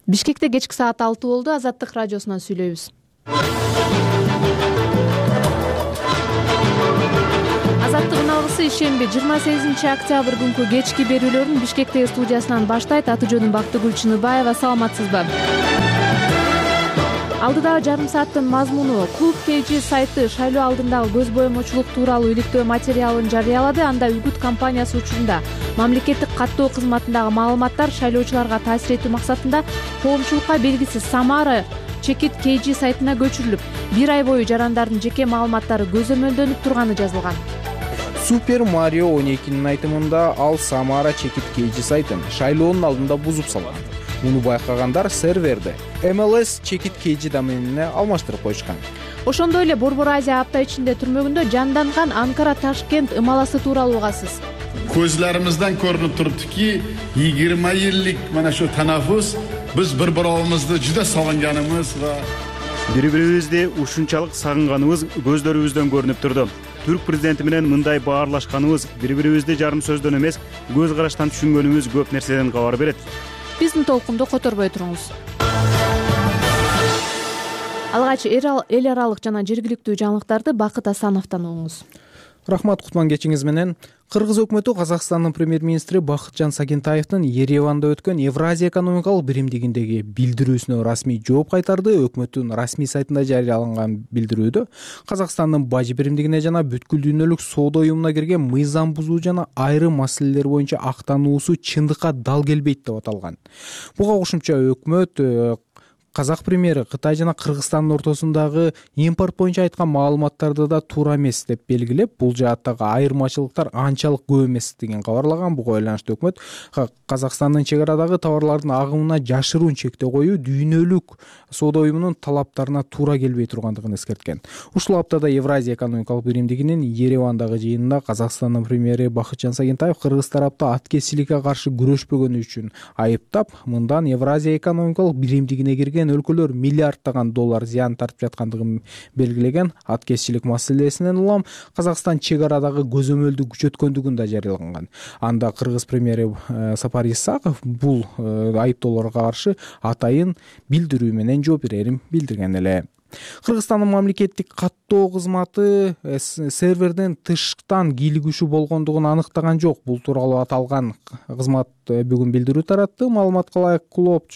Бишкекте кечки саат 6 болду. Азаттык радиосунан сүйлөйбүз. Азаттыктын алгысы ишемби 28 октябрь күнкү кечки берүүлөрүн Бишкектеги студиясынан баштайт. Аты жөнүм Бактыгүл Чыныбаева. Саламатсызбы? Алдыдагы жарым сааттын мазмуну: Клуб KG сайты шайлоо алдындагы көз боемочулук тууралуу иликтөө материалын жарыялады. Анда үгүт кампаниясы учурунда мамлекеттик каттоо кызматындагы маалыматтар шайлоочуларга таасир этүү максатында коомчулукка белгисиз Самара Чекит KG сайтына көчүрүлүп, 1 ай бою жарандардын жеке маалыматтары көзөмөлдөнүп турганы жазылган. Супер Марио 12нин айтымында ал Самара Чекит KG сайтын шайлоонун алдында бузуп салган. Муну байкагандар серверди MLS Чекит KG доменине алмаштырып койушкан. Ошондой эле Борбор Азия апта ичинде түрмөгүндө жанданган Анкара Ташкент ымаласы тууралуу угасыз. Көзлөрүмүздөн көрүнүп туруптуки 20 жылдык мына шу танаффус биз бири-бирибизди жуда сагынганыбыз ва бири-бирибизди ушунчалык сагынганыбыз көздөрүбүздөн көрүнүп турду. Түрк президенти менен мындай баарлашканыбыз, бири-бирибизди жарым сөздөн эмес, көз караштан түшүнгөнүбүз көп нерседен кабар берет. Биздин толкунду которбой туруңуз. Алгач эл аралык жана жергиликтүү жаңылыктарды Бакыт Асановдон угуңуз. Рахмат, кутман кечиңиз менен. Кыргыз өкмөтү Казакстандын премьер-министри Бакытжан Сагентаевдин Ереванда өткөн Евразия экономикалык биримдигиндеги билдирүүсүнө расмий жооп кайтарды. Өкмөттүн расмий сайтында жарыяланган билдирүүдө Казакстандын бажы биримдигине жана бүткүл дүйнөлүк соода уюмуна кирген мыйзам бузуу жана айрым маселелер боюнча актануусу чындыкка дал келбейт деп аталган. Буга кошумча өкмөт Казак премьери Кытай жана Кыргызстандын ортосундагы импорт боюнча айткан маалыматтарды да туура эмес деп белгилеп, бул жааттагы айырмачылыктар анчалык көп эместигин кабарлаган. Буга байланыштуу өкмөт Казакстандын чек арадагы товарлардын агымына жашыруун чектөө коюу дүйнөлүк соода уюмунун талаптарына туура келбей тургандыгын эскерткен. Ушул аптада Евразия экономикалык биримдигинин Еревандагы жыйынында Казакстандын премьери Бакытжан Сагентаев кыргыз тарапты аткезчиликке каршы күрөшпөгөнү үчүн айыптап, мындан Евразия экономикалык биримдигине кирген өлкөлөр миллиардтаган доллар зыян тартып жаткандыгын белгилеген. Аткезчилик маселесинен улам Казакстан чек арадагы көзөмөлдү күчөткөндүгүн да жарыялаган. Анда кыргыз премьери Сапар Исаков бул айыптоолорго каршы атайын билдирүү менен жооп берерин билдирген эле. Кыргызстандын мамлекеттик каттоо кызматы серверден тыштан кийлигишүү болгондугун аныктаган жок. Бул тууралуу аталган кызмат бүгүн билдирүү таратты. Маалыматка ылайык Клуб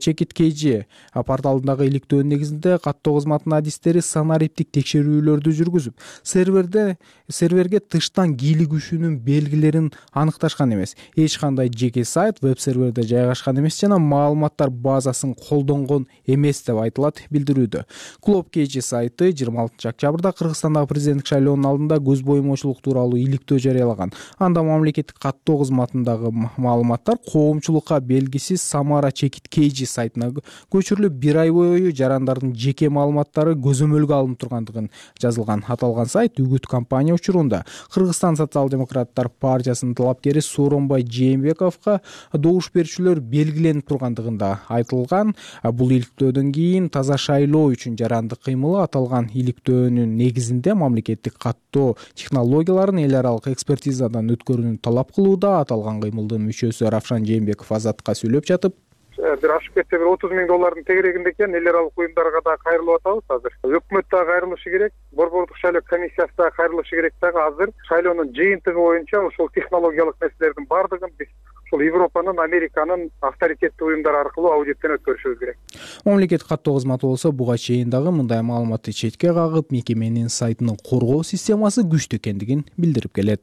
Чекит KG порталындагы иликтөөнүн негизинде каттоо кызматынын адистери санариптик текшерүүлөрдү жүргүзүп, серверге тыштан кийлигишүүнүн белгилерин аныкташкан эмес. Эч кандай жеке сайт веб-серверде жайгашкан эмес жана маалыматтар базасын колдонгон эмес деп айтылат билдирүүдө. Клуб KG сайты 26 октябрда Кыргызстандагы президенттик шайлоонун алдында көз боемочулук тууралуу иликтөө жарыялаган. Анда мамлекеттик каттоо кызматындагы маалыматтар коомчулукка белгисиз Самара Чекит KG сайтына көчүрүлүп, 1 ай бою жарандардын жеке маалыматтары көзөмөлгө алынып тургандыгын жазылган. Аталган сайт үгүт кампания учурунда Кыргызстан социал-демократтар партиясынын талапкери Сооронбай Жээнбековго добуш берүүчүлөр белгиленип тургандыгында айтылган. Бул иликтөөдөн кийин таза шайлоо үчүн жарандык кыймылы аталган иликтөөнүн негизинде мамлекеттик каттоо технологияларын эл аралык экспертизадан өткөрүүнү талап кылууда. Аталган кыймылдын мүчөсү Равшан Жээнбеков Азатка сүйлөп жатып, бир ашып кетсе бир 30 000 доллардын тегерегинде экен. Эл аралык уюмдарга да кайрылып атабыз азыр. Өкмөт да кайрылышы керек, Борбордук шайлоо комиссиясы да кайрылышы керек дагы. Азыр шайлоонун жыйынтыгы боюнча ушул технологиялык нерселердин бардыгын биз ушул Европанын, Американын авторитеттүү уюмдары аркылуу аудиттен өткөрүшүбүз керек. Мамлекеттик каттоо кызматы болсо буга чейин дагы мындай маалыматты четке кагып, мекеменин сайтынын коргоо системасы күчтүү экендигин билдирип келет.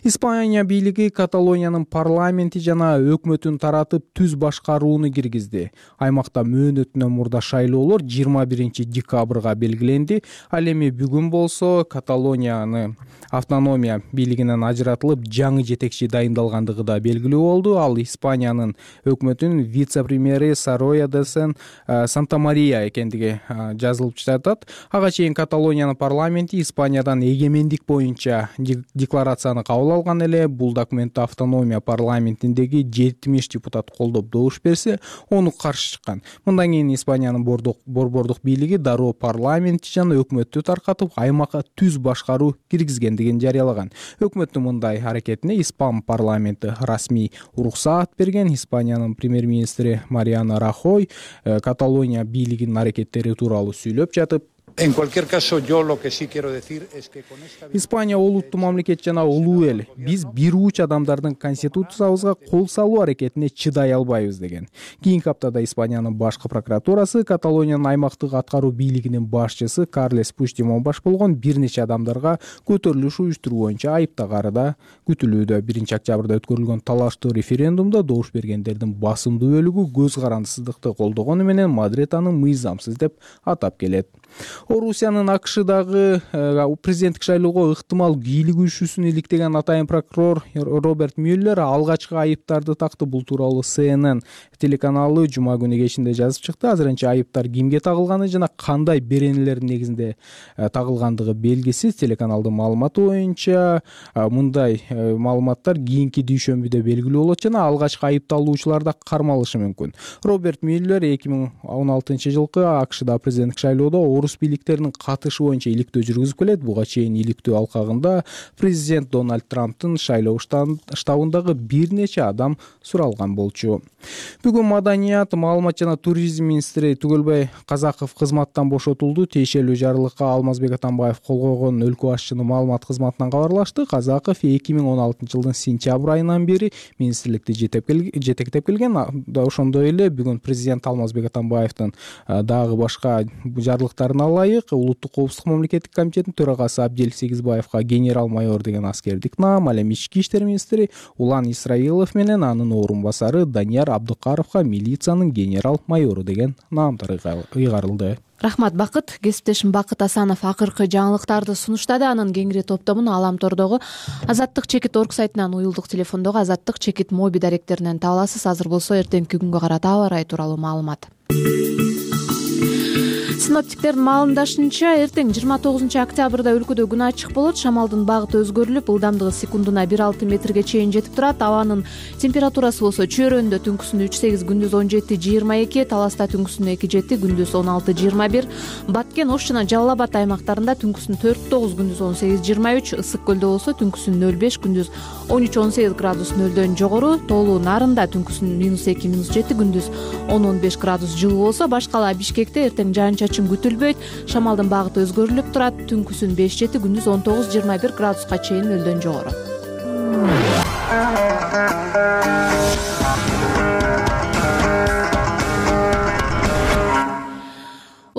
Испания бийлиги Каталониянын парламенти жана өкмөтүн таратып түз башкарууну киргизди. Аймакта мөөнөтүнөн мурда шайлоолор 21 декабрга белгиленди. Ал эми бүгүн болсо Каталонияны автономия бийлигинен ажыратылып, жаңы жетекчи дайындалгандыгы да белгилүү болду. Ал Испаниянын өкмөтүнүн вице-премьери Сороя де Санта-Мария экендиги жазылып жатат. Ага чейин Каталониянын парламенти Испаниядан эгемендик боюнча декларацияны аны кабыл алган эле. Бул документти автономия парламентиндеги 70 депутат колдоп добуш берсе, ону каршы чыккан. Мындан кийин Испаниянын борбордук бийлиги дароо парламентти жана өкмөттү таркатып, аймакка түз башкаруу киргизгендигин жарыялаган. Өкмөттүн мындай аракетине Испан парламенти расмий уруксаат берген. Испаниянын премьер-министри Мариано Рахой Каталония бийлигинин аракеттери тууралуу сүйлөп жатып, En cualquier caso, yo lo que sí quiero decir es que con esta... Испания улуттуу мамлекет жана улуу эл. Биз бир уч адамдардын конституциябызга кол салуу аракетине чыдай албайбыз деген. Кийинки аптада Испаниянын башкы прокуратурасы Каталониянын аймактык аткаруу бийлигинин башчысы Карлес Пучдемон баш болгон бир нече адамдарга көтөрүлүш уюштуруу боюнча айыптагаары күтүлүүдө. 1-октябрда өткөрүлгөн талаштуу референдумда добуш бергендердин басымдуу бөлүгү көз карандысыздыкты колдогону менен Мадрид аны мыйзамсыз деп атап келет. Орусиянын АКШдагы президенттик шайлоого ыктымал кийлигүүчүсүн иликтеген атайын прокурор Роберт Мюллер алгачкы айыптарды такты. Бул тууралуу CNN телеканалы жума күнү кечинде жазып чыкты. Азырынча айыптар кимге тагылганы жана кандай беренелердин негизинде тагылгандыгы белгисиз. Телеканалдын маалыматы боюнча мындай маалыматтар кийинки дүйшөмбүдө белгилүү болот жана алгачкы айыпталуучулар да кармалышы мүмкүн. Роберт Мюллер 2016-жылкы АКШда президенттик шайлоодо орус бийликтеринин катышы боюнча иликтөө жүргүзүп келет. Буга чейин иликтөө алкагында президент Дональд Трамптын шайлоо штабындагы бир нече адам суралган болчу. Бүгүн маданият, маалымат жана туризм министри Түгөлбай Казаков кызматтан бошотулду. Тиешелүү жарлыкка Алмазбек Атамбаев кол койгон өлкө башчынын маалымат кызматынан кабарлашты. Казаков 2016-жылдын сентябрь айынан бери министрликти жетектеп келген. Ошондой эле бүгүн президент Алмазбек Атамбаевдин дагы башка жарлыктарына ылайык улуттук коопсуздук мамлекеттик комитетинин төрагасы Абдел Сегизбаевга генерал-майор деген аскердик наам, ал эми ички иштер министри Улан Исраилов менен анын орун басары Данияр Абдыкаровго милициянын генерал-майору деген наамдар ыйгарылды. Рахмат, Бакыт. Кесиптешим Бакыт Асанов акыркы жаңылыктарды сунуштады. Анын кеңири топтомун Аламтордогу Азаттык чекит орг сайтынан, уюлдук телефондогу Азаттык чекит моби даректеринен таба аласыз. Азыр болсо эртеңки күнгө карата аба ырайы тууралуу маалымат. Синоптиктердин маалымдашынча, эртең 29-октябрда өлкөдө күн ачык болот. Шамалдын багыты өзгөрүлүп, ылдамдыгы секундуна 1,6 метрге чейин жетип турат. Абанын температурасы болсо чөйрөндө түнкүсүн 3,8, күндүз 17-22, Таласта түнкүсүн 2,7, күндүз 16-21, Баткен, Ош жана Жалал Абад аймактарында түнкүсүн 4,9, күндүз 18-23, Ысык көлдө болсо түнкүсүн 0,5, күндүз 13-18 градус нөлдөн жогору, Тоолуу Нарында түнкүсүн -2, -7, күндүз 10-15 градус жылуу болсо, башкала Бишкекте эртең жаан-чачын күтүлбөйт. Шамалдын багыты өзгөрүлүп турат. Түнкүсүн 5-7, күндүз 19-21 градуска чейин нөлдөн жогору.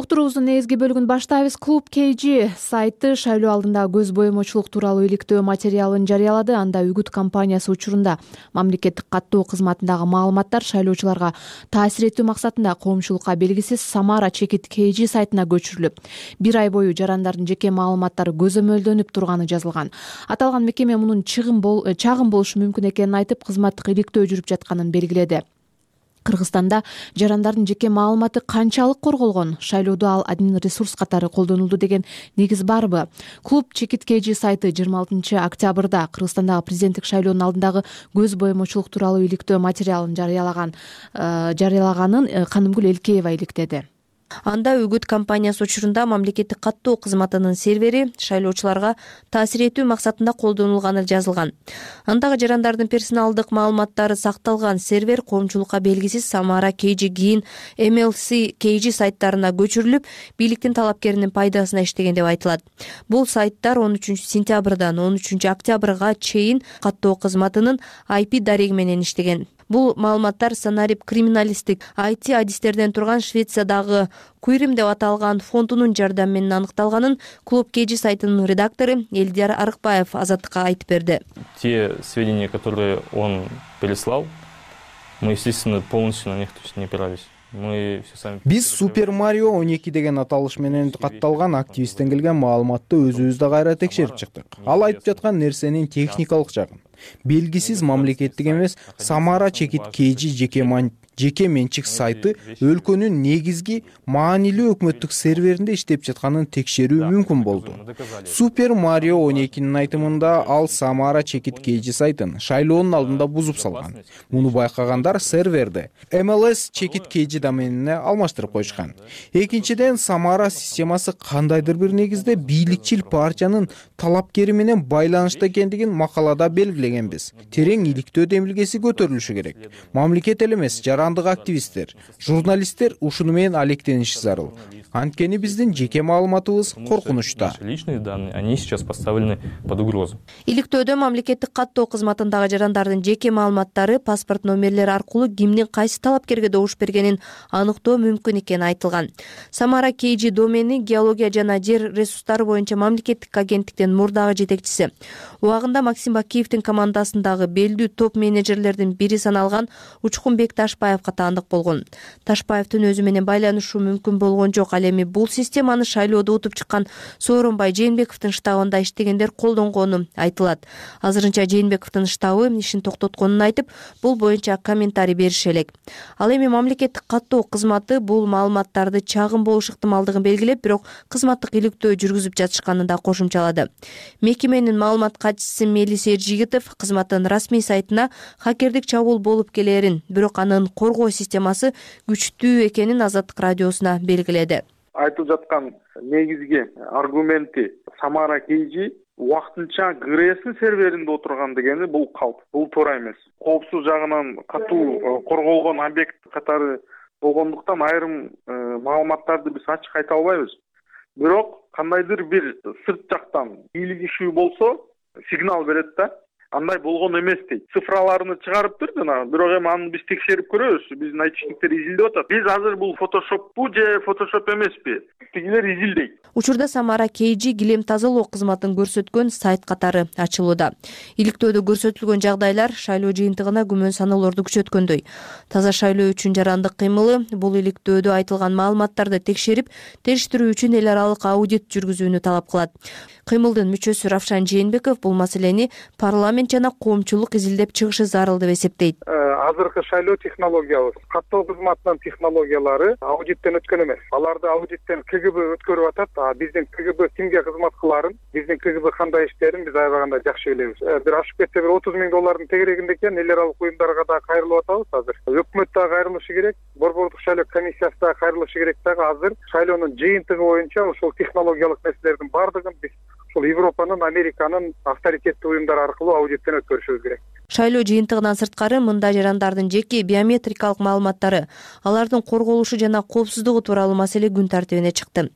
Уктуруубуздун негизги бөлүгүн баштайбыз. Клуб KG сайты шайлоо алдындагы көз боемочулук тууралуу иликтөө материалын жарыялады. Анда үгүт кампаниясы учурунда мамлекеттик каттоо кызматындагы маалыматтар шайлоочуларга таасир этүү максатында коомчулукка белгисиз Самара чекит KG сайтына көчүрүлүп, 1 ай бою жарандардын жеке маалыматтары көзөмөлдөнүп турганы жазылган. Аталган мекеме мунун чагым болушу мүмкүн экенин айтып, кызматтык иликтөө жүрүп жатканын белгиледи. Кыргызстанда жарандардын жеке маалыматы канчалык корголгон, шайлоодо ал админ ресурс катары колдонулду деген негиз барбы? Клуб чекит KG сайты 26-октябрда Кыргызстандагы президенттик шайлоонун алдындагы көз боемочулук тууралуу иликтөө материалын жарыялаганын Канымгүл Элкеева иликтеди. Анда үгүт кампаниясы учурунда мамлекеттик каттоо кызматынын сервери шайлоочуларга таасир этүү максатында колдонулганы жазылган. Андагы жарандардын персоналдык маалыматтары сакталган сервер коомчулукка белгисиз Самара KG кийин MLC KG сайттарына көчүрүлүп, бийликтин талапкеринин пайдасына иштеген деп айтылат. Бул сайттар 13-сентябрдан 13-октябрга чейин каттоо кызматынын IP дареги менен иштеген. Бул маалыматтар санарип криминалисттик IT адистерден турган Швециядагы Куйрим деп аталган фондунун жардамы менен аныкталганын Клуб KG сайтынын редактору Элдияр Арыкбаев Азаттыкка айтып берди. Те сведения, которые он переслал, мы, естественно, полностью на них не опирались. Биз Супер Марио 12 деген аталыш менен катталган активисттен келген маалыматты өзүбүздө кайра текшерип чыктык. Ал айтып жаткан нерсенин техникалык жагын, белгисиз мамлекеттик эмес Самара чекит KG жеке менчик сайты өлкөнүн негизги маанилүү өкмөттүк серверинде иштеп жатканын текшерүү мүмкүн болду. Супер Марио 12нин айтымында ал Самара чекит KG сайтын шайлоонун алдында бузуп салган. Муну байкагандар серверди MLS чекит KG доменине алмаштырып коюшкан. Экинчиден, Самара системасы кандайдыр бир негизде бийликчил партиянын талапкери менен байланышта экендигин макалада белгилегенбиз. Терең иликтөө демилгеси көтөрүлүшү керек. Мамлекет эле эмес, жарандык активисттер, журналисттер ушуну менен алектениши зарыл. Анткени биздин жеке маалыматыбыз коркунучта. Личные данные, они сейчас поставлены под угрозу. Иликтөөдө мамлекеттик каттоо кызматындагы жарандардын жеке маалыматтары паспорт номерлери аркылуу кимдин кайсы талапкерге добуш бергенин аныктоо мүмкүн экени айтылган. Самара KG домени геология жана жер ресурстары боюнча мамлекеттик агенттиктин мурдагы жетекчиси. Убагында Максим Бакиевдин командасындагы белдүү топ менеджерлердин бири саналган Учкунбек Ташбаевга таандык болгон. Ташбаевдин өзү менен байланышуу мүмкүн болгон жок. Ал эми бул системаны шайлоодо утуп чыккан Сооронбай Жээнбековдун штабында иштегендер колдонгону айтылат. Азырынча Жээнбековдун штабы ишин токтотконун айтып, бул боюнча комментарий бериши элек. Ал эми мамлекеттик каттоо кызматы бул маалыматтарды чагым болуш ыктымалдыгын белгилеп, бирок кызматтык иликтөө жүргүзүп жатышканын да кошумчалады. Мекеменин маалымат катчысы Мелис Эржигитов кызматтын расмий сайтына хакердик чабуул болуп келерин, бирок анын коргоо системасы күчтүү экенин Азаттык радиосуна белгиледи. Айтылып жаткан негизги аргументи Самара KG убактынча ГРС серверинде отурган дегени бул калп. Бул туура эмес. Коопсуз жагынан катуу корголгон объект катары болгондуктан айрым маалыматтарды биз ачык айта албайбыз. Бирок кандайдыр бир сырт жактан бийлик ишүү болсо сигнал берет да. Андай болгон эмес дейт. Цифраларını чыгарыптыр жана, бирок эми аны биз текшерип көрөбүз. Биздин айтышниктер изилдеп атат. Биз азыр бул фотошоппу же фотошоп эмеспи? Тигилер изилдейт. Учурда Самара KG килем тазалоо кызматын көрсөткөн сайт катары ачылууда. Иликтөөдө көрсөтүлгөн жагдайлар шайлоо жыйынтыгына күмөн саноолорду күчөткөндөй. Таза шайлоо үчүн жарандык кыймылы бул иликтөөдө айтылган маалыматтарды текшерип, териштирүү үчүн эл аралык аудит жүргүзүүнү талап кылат. Кыймылдын мүчөсү Равшан Жээнбеков бул маселени парламент жана коомчулук изилдеп чыгышы зарыл деп эсептейт. Азыркы шайлоо технологиябыз, каттоо кызматынын технологиялары аудиттен өткөн эмес. Аларды аудиттен КГБ өткөрүп атат. Биздин КГБ кимге кызмат кыларын, биздин КГБ кандай иштерин биз аябаганда жакшы билебиз. Бир ашып кетсе бир 30 миң доллардын тегерегинде экен, эл аралык уюмдарга да кайрылып атабыз азыр. Өкмөт да кайрылышы керек, Борбордук шайлоо комиссиясы да кайрылышы керек дагы азыр шайлоонун жыйынтыгы боюнча ушул технологиялык нерселердин бардыгын биз ушул Европанын, Американын авторитеттүү уюмдары аркылуу аудиттен өткөрүшүбүз керек. Шайлоо жыйынтыгынан сырткары мында жарандардын жеке биометрикалык маалыматтары, алардын корголушу жана коопсуздугу тууралуу маселе күн тартибине чыкты.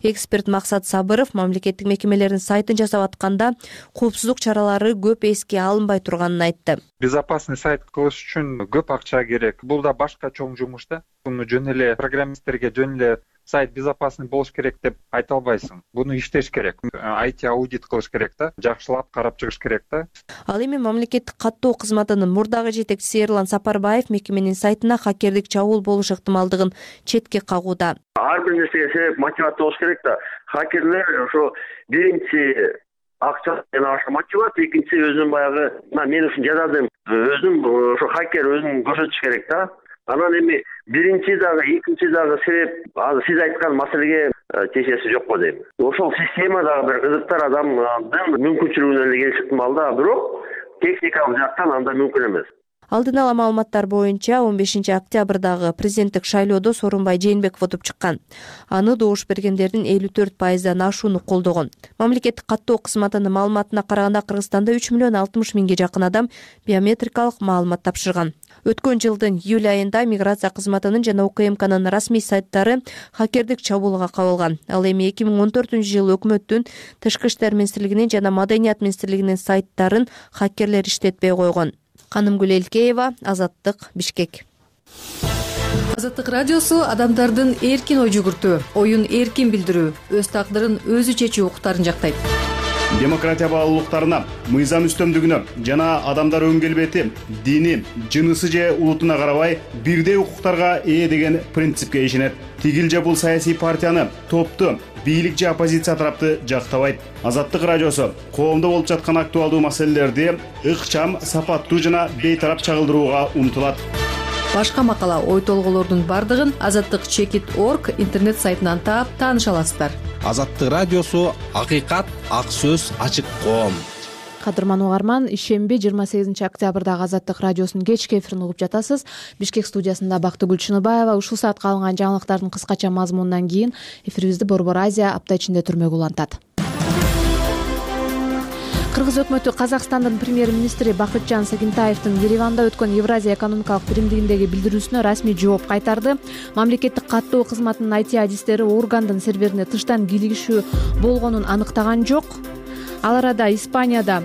Эксперт Максат Сабыров мамлекеттик мекемелердин сайтын жасап атканда коопсуздук чаралары көп эске алынбай турганын айтты. Безопасный сайт кылыш үчүн көп акча керек. Бул да башка чоң жумуш да. Буну жөн эле программисттерге жөн эле сайт безопасный болуш керек деп айта албайсың. Буну иштеш керек. IT аудит кылыш керек да, жакшылап карап чыгыш керек да. Ал эми мамлекеттик каттоо кызматынын мурдагы жетекчиси Эрлан Сапарбаев мекеменин сайтына хакердик чабуул болуш ыктымалдыгын четке кагууда. Ар бир нерсеге себеп мотивация болуш керек да. Хакерлер ошо биринчи акча менен аша мотивация, экинчи өзүнүн баягы мен ушун жазадым, өзүнүн ошо хакер өзүн көрсөтүш керек да. Анан эми биринчи дагы, экинчи дагы себеп азыр сиз айткан маселеге чечеси жок го дейм. Ошол система дагы бир кызыктар адамдын мүмкүнчүлүгүнө эле келиши ыктымал да, бирок техникалык жактан анда мүмкүн эмес. Алдын ала маалыматтар боюнча 15 октябрдагы президенттик шайлоодо Сооронбай Жээнбеков утуп чыккан. Аны добуш бергендердин 54%дан ашууну колдогон. Мамлекеттик каттоо кызматынын маалыматына караганда Кыргызстанда 3 миллион 60 миңге жакын адам биометрикалык маалымат тапшырган. Өткөн жылдын июль айында миграция кызматынын жана УКМКнын расмий сайттары хакердик чабуулга кабылган. Ал эми 2014-жылы өкмөттүн Тышкы иштер министрлигинин жана Маданият министрлигинин сайттарын хакерлер иштетпей койгон. Канымгүл Элкеева, Азаттык, Бишкек. Азаттык радиосу адамдардын эркин ой жүгүртүү, оюн эркин билдирүү, өз тагдырын өзү чечүү укуктарын жактайт. Демократия баалуулуктарына, мыйзам үстөмдүгүнө жана адамдар өн келбети, дини, жынысы же улутуна карабай бирдей укуктарга ээ деген принципке ишенет. Тигил же бул саясий партияны, топту, бийлик же оппозиция тарапты жактабайт. Азаттык радиосу коомдо болуп жаткан актуалдуу маселелерди ыкчам, сапаттуу жана бейтарап чагылдырууга умтулат. Башка макала, ой толголордун бардыгын azattik.org интернет сайтынан таап тааныша аласыздар. Азаттык радиосу акыйкат, ак сөз, ачык коом. Кадырман угарман, ишемби 28 октябрдагы Азаттык радиосунун кечки эфирин угуп жатасыз. Бишкек студиясында Бактыгүл Чыныбаева. Ушул саатка алынган жаңылыктардын кыскача мазмунунан кийин эфирибизди Борбор Азия апта ичинде түрмөгө улантат. Кыргыз өкмөтү Казакстандын премьер-министри Бакытжан Сагинтаевдин Ереванда өткөн Евразия экономикалык биримдигиндеги билдирүүсүнө расмий жооп кайтарды. Мамлекеттик каттоо кызматынын IT-адистери органдын серверине тыштан кийлигишүү болгонун аныктаган жок. Ал арада Испанияда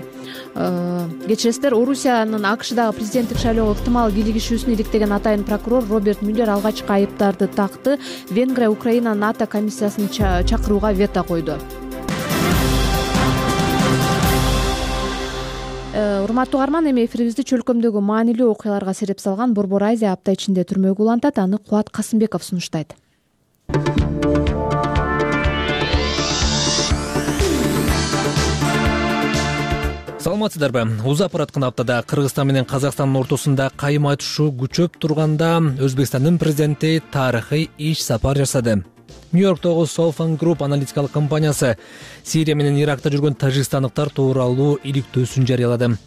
кечиресиздер, Орусиянын АКШдагы президенттик шайлоого ыктымал кийлигишүүсүн иликтеген атайын прокурор Роберт Мюллер алгачкы айыптарды такты. Венгрия Украина НАТО комиссиясын чакырууга вето койду. Урматтуу угарман, эми эфирибизди чөлкөмдөгү маанилүү окуяларга сереп салган Борбор Азия апта ичинде түрмөгө улантат. Аны Кубат Касымбеков сунуштайт. Саламатсыздарбы? Узап бараткан аптада Кыргызстан менен Казакстандын ортосунда кайым айтышуу күчөп турганда Өзбекстандын президенти тарыхый иш сапар жасады. Нью-Йорктогу Southern Group аналитикалык компаниясы Сирия менен Иракта жүргөн тажикстандыктар тууралуу иликтөөсүн жарыялады.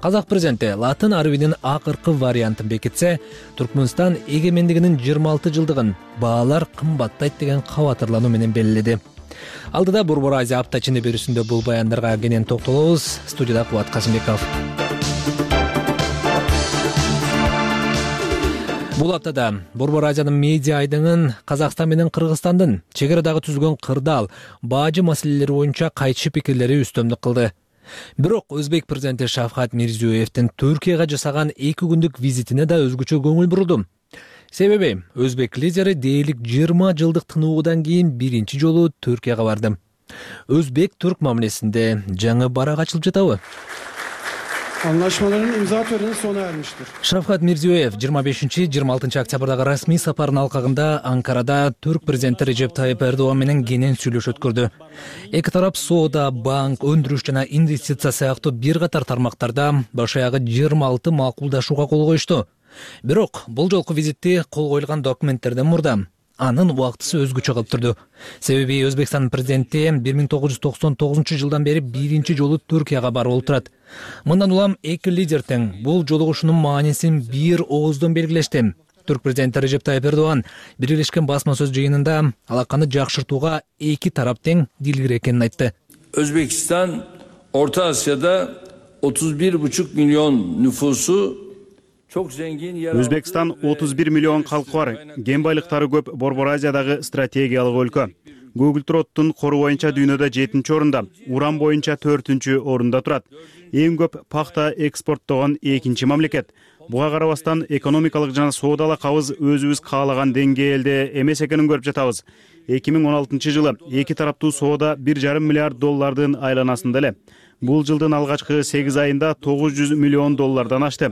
Казак президенти латын арабинин акыркы вариантын бекитсе, Түркмөнстан эгемендигинин 26 жылдыгын баалар кымбаттайт деген кабатырлануу менен белгиледи. Алдыда Борбор Азия апта ичинде берүүсүндө бул баяндарга кенен токтолобуз. Студияда Кубат Касымбеков. Бул аптада Борбор Азиянын медиа айдыңын Казакстан менен Кыргызстандын чек арадагы түзүлгөн кырдаал, бажы маселелери боюнча кайчы пикирлери үстөмдүк кылды. Бирок Өзбек президенти Шавкат Мирзиёевдин Түркияга жасаган 2 күндүк визитине да өзгөчө көңүл бурулду. Себеби өзбек лидери дээрлик 20 жылдык тынуудан кийин биринчи жолу Түркияга барды. Өзбек-түрк мамилесинде жаңы барак ачылып жатабы? Anlaşmaların imza töreni sona ermiştir. Шавкат Мирзиёев 25-26 октябрдагы расмий сапарынын алкагында Анкарада түрк президенти Режеп Тайып Эрдоган менен кенен сүйлөшүү өткөрдү. Эки тарап соода, банк, өндүрүш жана инвестиция сыяктуу бир катар тармактарда баш аягы 26 макулдашууга кол коюшту. Бирок бул жолку визитти кол коюлган документтерден мурда анын убактысы өзгөчө кылып турду. Себеби Өзбекстандын президенти 1999 жылдан бери биринчи жолу Түркияга барып турат. Мындан улам эки лидер тең бул жолугушуунун маанисин бир ооздон белгилешти. Түрк президенти Режеп Тайып Эрдоган Бирлешкен басма сөз жыйынында алаканы жакшыртууга эки тарап тең дилгир экенин айтты. Özbekistan Orta Asya'da 31,5 milyon nüfusu Өзбекстан 31 миллион калкы бар, кен байлыктары көп Борбор Азиядагы стратегиялык өлкө. Google кору боюнча дүйнөдө 7-чи орунда, уран боюнча 4-чү орунда турат. Эң көп пахта экспорттогон 2-чи мамлекет. Буга карабастан экономикалык жана соодалык кабыз өзүбүз каалаган деңгээлде эмес экенин көрүп жатабыз. 2016 жылы эки тараптуу соода 1,5 миллиард доллардын айланасында эле. Бул жылдын алгачкы 8 айында 900 миллион доллардан ашты.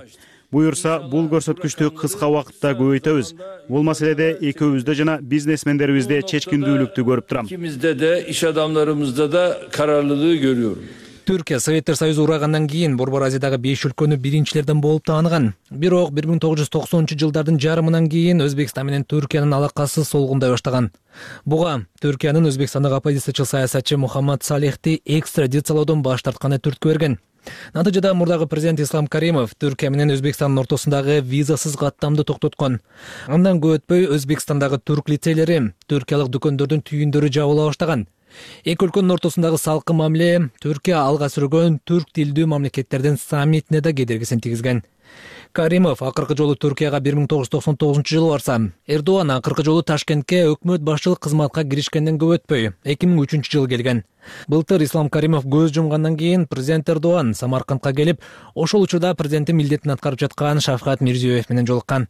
Буюрса, бул көрсөткүчтү кыска убакытта көбөйтөбүз. Бул маселеде экөөбүздө жана бизнесмендерибизде чечкиндүүлүктү көрүп турам. İkimizde de, iş adamlarımızda da kararlılığı görüyorum. Түркия Советтер Союзу урагандан кийин Борбор Азиядагы 5 өлкөнү биринчилерден болуп тааныган. Бирок 1990 жылдардын жарымынан кийин Өзбекстан менен Түркиянын алакасы солгундай баштаган. Буга Түркиянын Өзбекстандагы оппозициячыл саясатчы Мухаммад Салихти экстрадициялоодон баш тартканы түрткү берген. Натыйжада мурдагы президент Ислам Каримов Түркия менен Өзбекстандын ортосундагы визасыз каттамды токтоткон. Андан көп өтпөй Өзбекстандагы түрк лицейлери, түркиялык дүкөндөрдүн түйүндөрү жабыла баштаган. Эки өлкөнүн ортосундагы салкын мамиле Түркия алга сүргөн түрк тилдүү мамлекеттердин саммитине да кедергисин тийгизген. Каримов акыркы жолу Түркияга 1999 жылы барса, Эрдоган акыркы жолу Ташкентке өкмөт башчылык кызматка киришкенден көп өтпөй 2003 жылы келген. Былтыр Ислам Каримов көз жумгандан кийин президент Эрдоган Самаркандка келип, ошол учурда президенттин милдетин аткарып жаткан Шавкат Мирзиёев менен жолуккан.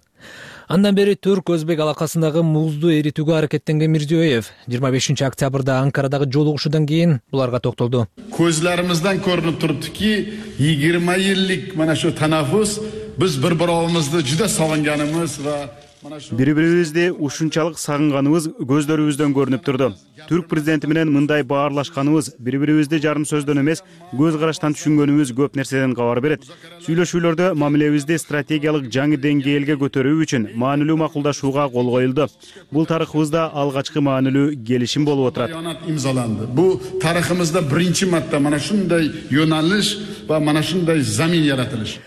Андан бери түрк-өзбек алакасындагы музду эритүүгө аракеттенген Мирзиёев 25 октябрда Анкарадагы жолугушуудан кийин буларга токтолду. Көзлөрүбүздөн көрүнүп туруптуки 20 жылдык мына шу танаффус биз bir-birimizди juda sog'inganimiz va Бири бирибизди ушунчалык сагынганыбыз көздөрүбүздөн көрүнүп турду. Түрк президенти менен мындай баарлашканыбыз, бири бирибизди жарым сөздөн эмес, көз караштан түшүнгөнүбүз көп нерседен кабар берет. Сүйлөшүүлөрдө мамилебизди стратегиялык жаңы деңгээлге көтөрүү үчүн маанилүү макулдашууга кол коюлду. Бул тарыхыбызда алгачкы маанилүү келишим болуп отурат. Имзаланды. Бу тарыхымызда биринчи марта мана шундай yo'nalish va mana shunday zamin yaratilish.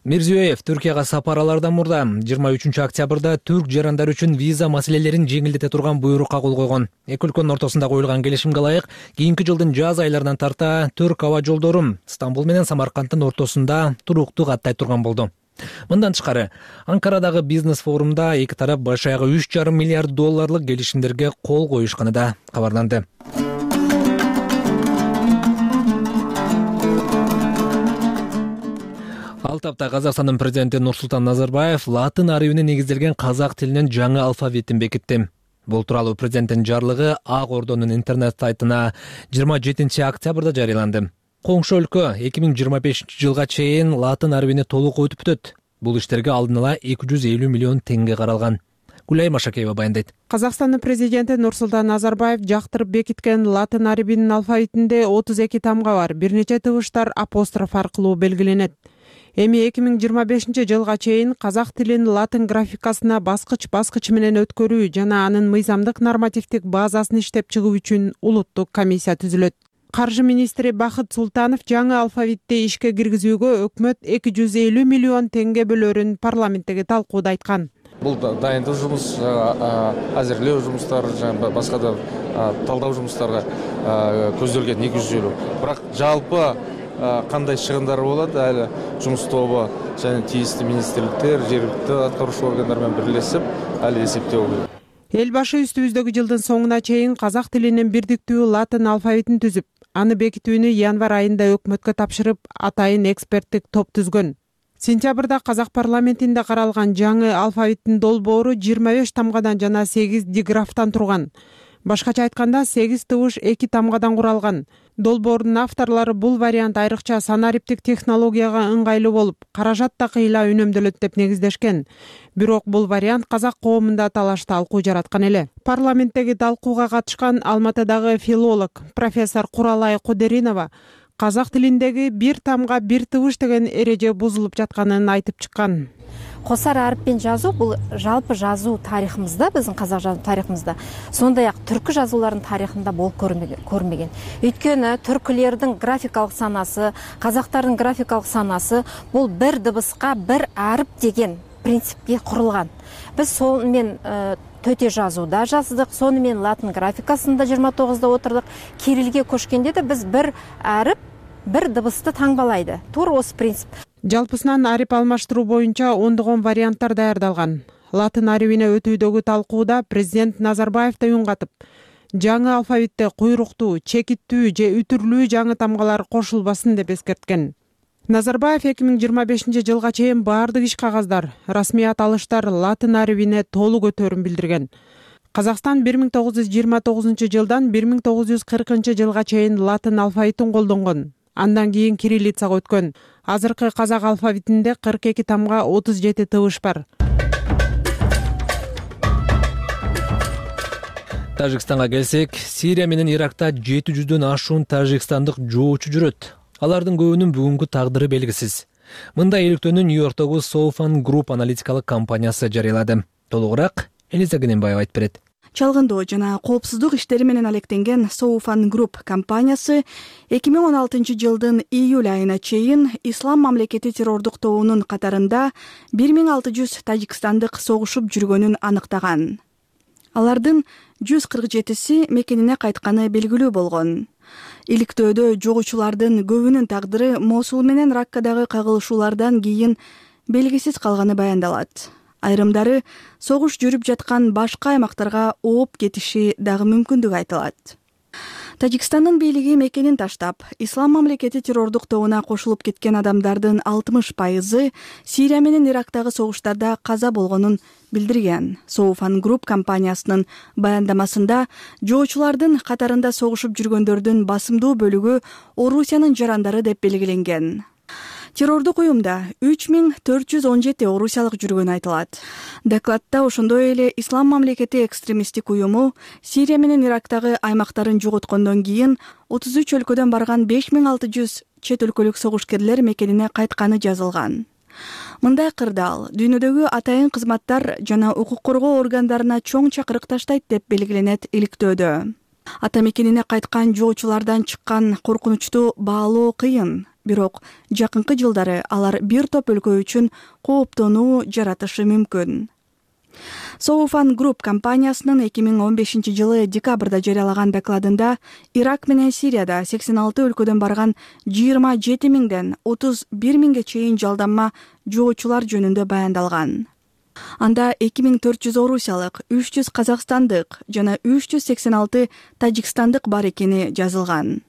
Мирзиёев Түркияга сапар алардан мурда 23 октябрда түрк жарандары үчүн виза маселелерин жеңилдете турган буйрукка кол койгон. Эки өлкөнүн ортосунда коюлган келишимге ылайык кийинки жылдын жаз айларынан тарта түрк аба жолдору Стамбул менен Самаркандтын ортосунда туруктуу каттай турган болду. Мындан тышкары, Анкарадагы бизнес форумда эки тарап баш аягы 3,5 миллиард долларлык келишимдерге кол коюшканы да кабарланды. Ал тапта Казакстандын президенти Нурсултан Назарбаев латын арабине негизделген казак тилинин жаңы алфавитин бекитти. Бул тууралуу президенттин жарлыгы Ак Ордонун интернет сайтына 27 октябрда жарыяланды. Коңшу өлкө 2025 жылга чейин латын арабине толук өтүп бүтөт. Бул иштерге алдын ала 250 миллион теңге каралган. Гүлай Машакеева баяндайт. Казакстандын президенти Нурсултан Назарбаев жактырып бекиткен латын арабинин алфавитинде 32 тамга бар. Бир нече тыбыштар апостроф аркылуу белгиленет. Эми 2025 жылга чейин казак тилин латын графикасына баскыч менен өткөрүү жана анын мыйзамдык нормативдик базасын иштеп чыгуу үчүн улуттук комиссия түзүлөт. Каржы министри Бахыт Султанов жаңы алфавитти ишке киргизүүгө өкмөт 250 миллион теңге бөлөрүн парламенттеги талкууда айткан. Бул дайындык жумуш, азирлөө жумуштары, башка да талдоо жумуштарга көзделген 250. Бирок жалпы кандай чыгымдар болот, али жумуш тобу жана тийиштүү министрликтер, жергиликтүү аткаруучу органдар менен бирлешип, али эсептөө болот. Эл башы үстүбүздөгү жылдын соңуна чейин казак тилинин бирдиктүү латын алфавитин түзүп, аны бекитүүнү январь айында өкмөткө тапшырып, атайын эксперттик топ түзгөн. Сентябрда казак парламентинде каралган жаңы алфавиттин долбоору 25 тамгадан жана 8 диграфтан турган. Башкача айтканда 8 тыбыш 2 тамгадан куралган. Долбоордун авторлору бул вариант айрыкча санариптик технологияга ыңгайлуу болуп, каражат да кыйла үнөмдөлөт деп негиздешкен. Бирок бул вариант казак коомунда талаш талкуу жараткан эле. Парламенттеги талкууга катышкан Алматыдагы филолог профессор Куралай Кудеринова казак тилиндеги бир тамга бир тыбыш деген эреже бузулуп жатканын айтып чыккан. Косар ариппен жазуу бул жалпы жазуу тарыхымызда, биздин казак жазуу тарыхымызда, сондай ак түркү жазууларынын тарыхында болуп көрмөгөн. Өйткөнү түркүлөрдүн графикалык санасы, казактардын графикалык санасы бул бир дыбыска бир арип деген принципке курулган. Биз сол менен төте жазууда жаздык, сону менен латын графикасында 29да отурдук. Кириллге көчкөндө да биз бир арип, бир дыбысты таңбалайды. Туура осы принцип. Жалпысынан арип алмаштыруу боюнча ондогон варианттар даярдалган. Латын арабине өтүүдөгү талкууда президент Назарбаев да үн катып, жаңы алфавитте куйруктуу, чекиттүү же үтүрлүү жаңы тамгалар кошулбасын деп эскерткен. Назарбаев 2025 жылга чейин баардык иш кагаздар, расмий аталыштар латын арабине толук өтөрүн билдирген. Казакстан 1929 жылдан 1940 жылга чейин латын алфавитин колдонгон. Андан кийин кириллицага өткөн. Азыркы казак алфавитинде 42 тамга 37 тыбыш бар. Тажикстанга келсек, Сирия менен Иракта 700дөн ашуун тажикстандык жоочу жүрөт. Алардын көбүнүн бүгүнкү тагдыры белгисиз. Мындай иликтөөнү Нью-Йорктогу Soufan Group аналитикалык компаниясы жарыялады. Толугураак Элиза Гененбаева айтып берет. Чалгындоо жана коопсуздук иштери менен алектенген Soufan Group компаниясы 2016 жылдын июль айына чейин Ислам мамлекети террордук тобунун катарында 1600 тажикстандык согушуп жүргөнүн аныктаган. Алардын 147си мекенине кайтканы белгилүү болгон. Иликтөөдө жогучулардын көбүнүн тагдыры Мосул менен Раккадагы кагылышуулардан кийин белгисиз калганы баяндалат. Айрымдары согуш жүрүп жаткан башка аймактарга ооп кетиши дагы мүмкүндүгү айтылат. Тажикстандын бийлиги мекенин таштап, Ислам мамлекети террордук тобуна кошулуп кеткен адамдардын 60% Сирия менен Ирактагы согуштарда каза болгонун билдирген. Soufan Group компаниясынын баяндамасында жоочулардын катарында согушуп жүргөндөрдүн басымдуу бөлүгү Орусиянын жарандары деп белгиленген. Террордук уюмда 3417 орусиялык жүргөнү айтылат. Докладда ошондой эле Ислам мамлекети экстремисттик уюму Сирия менен Ирактагы аймактарын жоготкондон кийин 33 өлкөдөн барган 5600 чет өлкөлүк согушкерлер мекенине кайтканы жазылган. Мындай кырдаал дүйнөдөгү атайын кызматтар жана укук коргоо органдарына чоң чакырык таштайт деп белгиленет иликтөөдө. Ата мекенине кайткан жоочулардан чыккан коркунучту баалоо кыйын, бирок жакынкы жылдары алар бир топ өлкө үчүн кооптонуу жаратышы мүмкүн. Соуфан Групп компаниясынын 2015 жылы декабрда жарыялаган докладында Ирак менен Сирияда 86 өлкөдөн барган 27 миңден 31 миңге чейин жалданма жоочулар жөнүндө баяндалган. Анда 2400 орусиялык, 300 казакстандык жана 386 тажикстандык бар экени жазылган.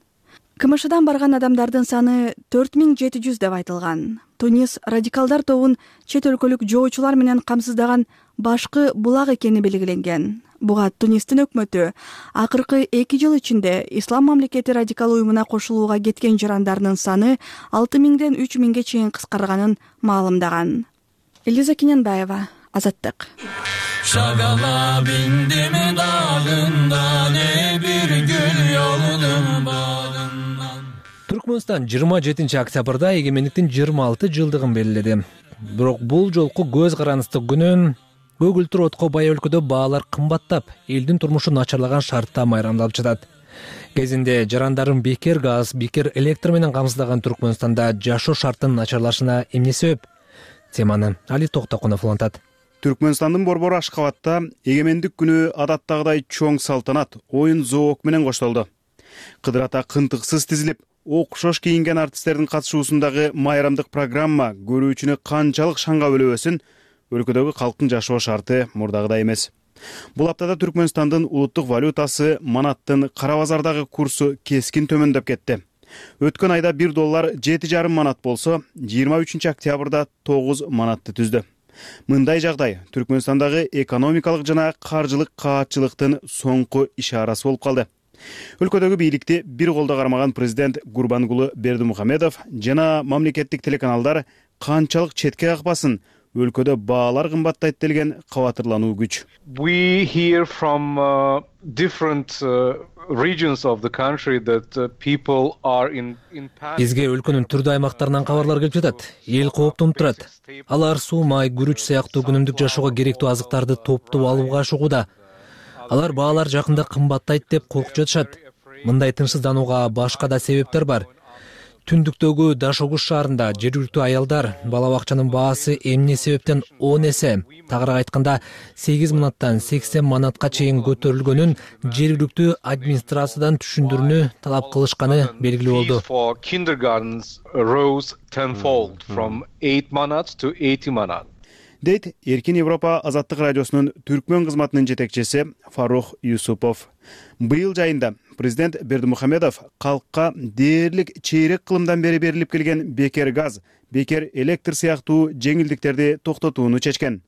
КМШдан барган адамдардын саны 4700 деп айтылган. Тунис радикалдар тобун чет өлкөлүк жоочулар менен камсыздаган башкы булак экени белгиленген. Буга Тунистин өкмөтү акыркы 2 жыл ичинде Ислам мамлекети радикал уюмуна кошулууга кеткен жарандарынын саны 6000ден 3000ге чейин кыскарганын маалымдаган. Элиза Кененбаева, Азаттык. Шагала биндими дагында не бир гүл жолунун багынан. Түркмөнстан 27 октябрда эгемендиктин 26 жылдыгын белгиледи. Бирок бул жолку көз караныстык күнүн көгүлтүр отко бай өлкөдө баалар кымбаттап, элдин турмушу начарлаган шартта майрамдалып жатат. Кезинде жарандарын бекер газ, бекер электр менен камсыздаган Түркмөнстанда жашоо шартынын начарлашына эмне себеп? Теманы Али Токтокунов улантат. Түркмөнстандын борбору Ашкабадта эгемендик күнү адаттагыдай чоң салтанат, оюн зоок менен коштолду. Кыдыр ата кынтыксыз тизилип, окшош кийинген артисттердин катышуусундагы майрамдык программа көрүүчүнү канчалык шаңга бөлөбөсүн, өлкөдөгү калктын жашоо шарты мурдагыдай эмес. Бул аптада Түркмөнстандын улуттук валютасы манаттын кара базардагы курсу кескин төмөндөп кетти. Өткөн айда $1 7,5 манат болсо, 23 октябрда 9 манатты түздү. Мындай жагдай Түркмөнстандагы экономикалык жана каржылык каатчылыктын соңку ишарасы болуп калды. Өлкөдөгү бийликти бир колдо кармаган президент Гурбангулы Бердимухамедов жана мамлекеттик телеканалдар канчалык четке какпасын, өлкөдө баалар кымбаттайт делген кабатырлануу күч. We hear from different regions of the country that people are in panic. Бизге өлкөнүн түрдүү аймактарынан кабарлар келип жатат. Эл кооптонуп турат. Алар суу, май, күрүч сыяктуу күнүмдүк жашоого керектүү азыктарды топтоп алууга ашыгууда. Алар баалар жакында кымбаттайт деп коркуп жатышат. Мындай тынчсызданууга башка да себептер бар. Түндүктөгү Дашогуз шаарында жергиликтүү аялдар бала бакчанын баасы эмне себептен 10 эсе, тагыраак айтканда 8 манаттан 80 манатка чейин көтөрүлгөнүн жергиликтүү администрациядан түшүндүрүүнү талап кылышканы белгилүү болду. For kindergartens rose tenfold from 8 manat to 80 manat. Дейт Эркин Европа Азаттык радиосунун Түркмөн кызматынын жетекчиси Фарух Юсупов. Быйыл жайында президент Бердимухамедов калкка дээрлик чейрек кылымдан бери берилип келген бекер газ, бекер электр сыяктуу жеңилдиктерди токтотууну чечкен.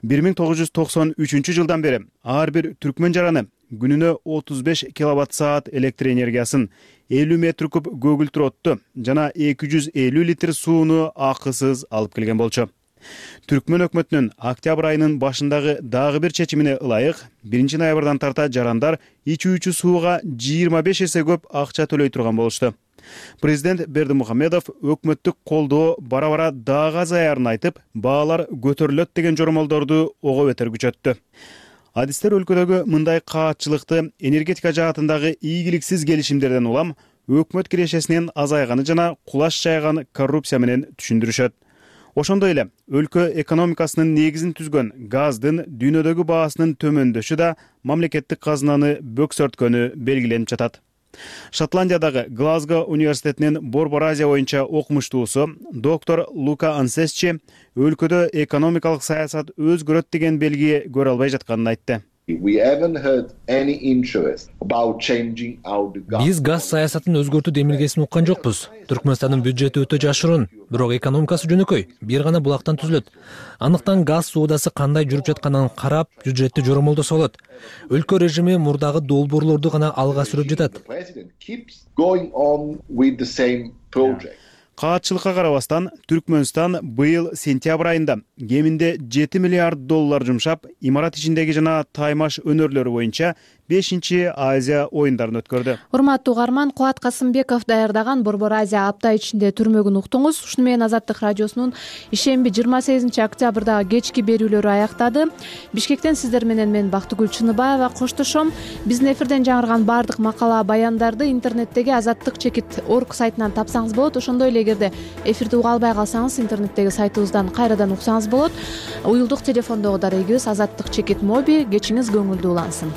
1993 жылдан бери ар бир түркмөн жараны күнүнө 35 киловатт-саат электр энергиясын, 50 метр куб көгүлтүр отту жана 250 литр сууну акысыз алып келген болчу. Түркмөн өкмөтүнүн октябрь айынын башындагы дагы бир чечимине ылайык 1 ноябрдан тарта жарандар ичүүчү сууга 25 эсе көп акча төлөй турган болушту. Президент Бердимухамедов өкмөттүк колдоо бара-бара дагы азаярын айтып, баалар көтөрүлөт деген жормолдорду ого бетер күчөттү. Адистер өлкөдөгү мындай каатчылыкты энергетика жаатындагы ийгиликсиз келишимдерден улам өкмөт кирешесинен азайганы жана кулаш жайган коррупция менен түшүндүрүшөт. Ошондой эле өлкө экономикасынын негизин түзгөн газдын дүйнөдөгү баасынын төмөндөшү да мамлекеттик казынаны бөксөрткөнү белгиленип жатат. Шотландиядагы Глазго университетинин Борбор Азия боюнча окумуштуусу доктор Лука Ансесчи өлкөдө экономикалык саясат өзгөрөт деген белги көрө албай жатканын айтты. Биз газ саясатын өзгөртүү демилгесин уккан жокпуз. Түркмөнстандын бюджети өтө жашыруун, бирок экономикасы жөнөкөй, бир гана булактан түзүлөт. Андыктан газ соодасы кандай жүрүп жатканын карап, бюджетти жормолдосо болот. Өлкө режими мурдагы долбоорлорду гана алга сүрүп жатат. Каатчылыкка карабастан Түркмөнстан быйыл сентябрь айында кеминде $7 миллиард жумшап, имарат ичиндеги жана таймаш өнөрлөрү боюнча 5-Азия оюндарын өткөрдү. Урматтуу угарман, Кубат Касымбеков даярдаган Борбор Азия апта ичинде түрмөгүн уктуңуз. Ушуну менен Азаттык радиосунун ишемби 28 октябрдагы кечки берүүлөрү аяктады. Бишкектен сиздер менен мен Бактыгүл Чыныбаева коштошом. Биздин эфирден жаңырган баардык макала баяндарды интернеттеги azattik.org сайтынан тапсаңыз болот. Ошондой эле эгерде эфирди уга албай калсаңыз, интернеттеги сайтыбыздан кайрадан уксаңыз болот. Уюлдук телефондогу дарегибиз azattik.mobi. Кечиңиз көңүлдүү улансын.